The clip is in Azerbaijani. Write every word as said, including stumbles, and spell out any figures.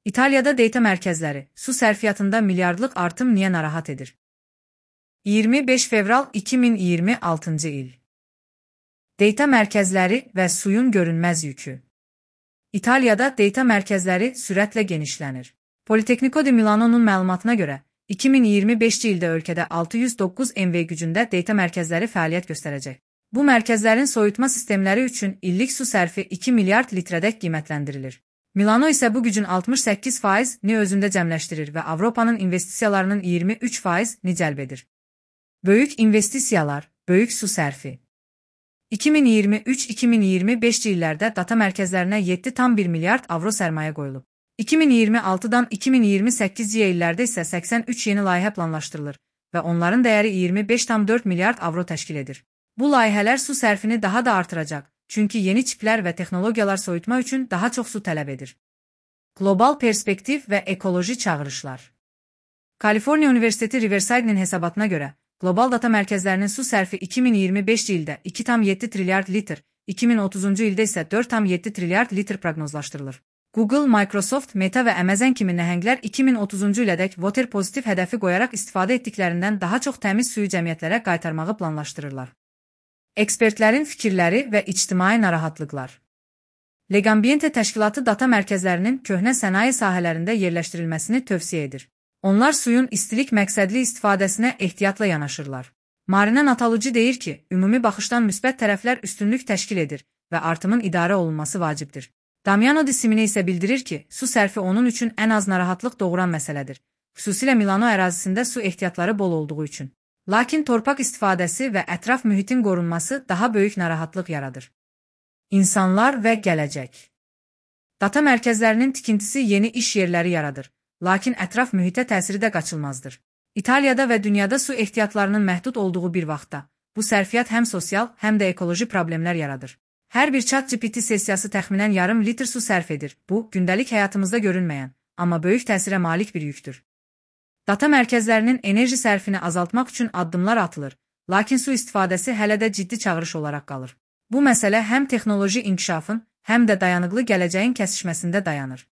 İtalya'da data mərkəzləri, su sərfiyyatında milyardlıq artım niyə narahat edir? iyirmi beş fevral iki min iyirmi altıncı il. Data mərkəzləri və suyun görünməz yükü. İtalyada data mərkəzləri sürətlə genişlənir. Politecnico di Milano'nun məlumatına görə, iki min iyirmi beşinci ildə ölkədə altı yüz doqquz megavat gücündə data mərkəzləri fəaliyyət göstərəcək. Bu mərkəzlərin soyutma sistemləri üçün illik su sərfi iki milyard litrədək qiymətləndirilir. Milano isə bu gücün altmış səkkiz faizini özündə cəmləşdirir və Avropanın investisiyalarının iyirmi üç faizini cəlb edir. Böyük investisiyalar, böyük su sərfi. iki min iyirmi üç iki min iyirmi beşinci illərdə data mərkəzlərinə yeddi tam bir milyard avro sərmayə qoyulub. iki min iyirmi altıdan iki min iyirmi səkkizinci illərdə isə səksən üç yeni layihə planlaşdırılır və onların dəyəri iyirmi beş tam dörd milyard avro təşkil edir. Bu layihələr su sərfini daha da artıracaq, çünki yeni çiplər və texnologiyalar soyutma üçün daha çox su tələb edir. Qlobal perspektiv və ekoloji çağırışlar. Kaliforniya Universiteti Riverside'nin hesabatına görə, qlobal data mərkəzlərinin su sərfi iki min iyirmi beşinci ildə iki tam yeddi trilyard litr, iki min otuzuncu ildə isə dörd tam yeddi trilyard litr proqnozlaşdırılır. Google, Microsoft, Meta və Amazon kimi nəhənglər iki min otuzuncu ilədək water pozitiv hədəfi qoyaraq istifadə etdiklərindən daha çox təmiz suyu cəmiyyətlərə qaytarmağı planlaşdırırlar. Ekspertlərin fikirləri və ictimai narahatlıqlar. Legambiente təşkilatı data mərkəzlərinin köhnə sənaye sahələrində yerləşdirilməsini tövsiyə edir. Onlar suyun istilik məqsədli istifadəsinə ehtiyatla yanaşırlar. Marina Natalucci deyir ki, ümumi baxışdan müsbət tərəflər üstünlük təşkil edir və artımın idarə olunması vacibdir. Damiano Di Simone isə bildirir ki, su sərfi onun üçün ən az narahatlıq doğuran məsələdir, xüsusilə Milano ərazisində su ehtiyatları bol olduğu üçün. Lakin torpaq istifadəsi və ətraf mühitin qorunması daha böyük narahatlıq yaradır. İnsanlar və gələcək. Data mərkəzlərinin tikintisi yeni iş yerləri yaradır, lakin ətraf mühitə təsiri də qaçılmazdır. İtaliyada və dünyada su ehtiyatlarının məhdud olduğu bir vaxtda, bu sərfiyyat həm sosial, həm də ekoloji problemlər yaradır. Hər bir ChatGPT sessiyası təxminən yarım litr su sərf edir. Bu, gündəlik həyatımızda görünməyən, amma böyük təsirə malik bir yükdür. Data mərkəzlərinin enerji sərfini azaltmaq üçün addımlar atılır, lakin su istifadəsi hələ də ciddi çağırış olaraq qalır. Bu məsələ həm texnoloji inkişafın, həm də dayanıqlı gələcəyin kəsişməsində dayanır.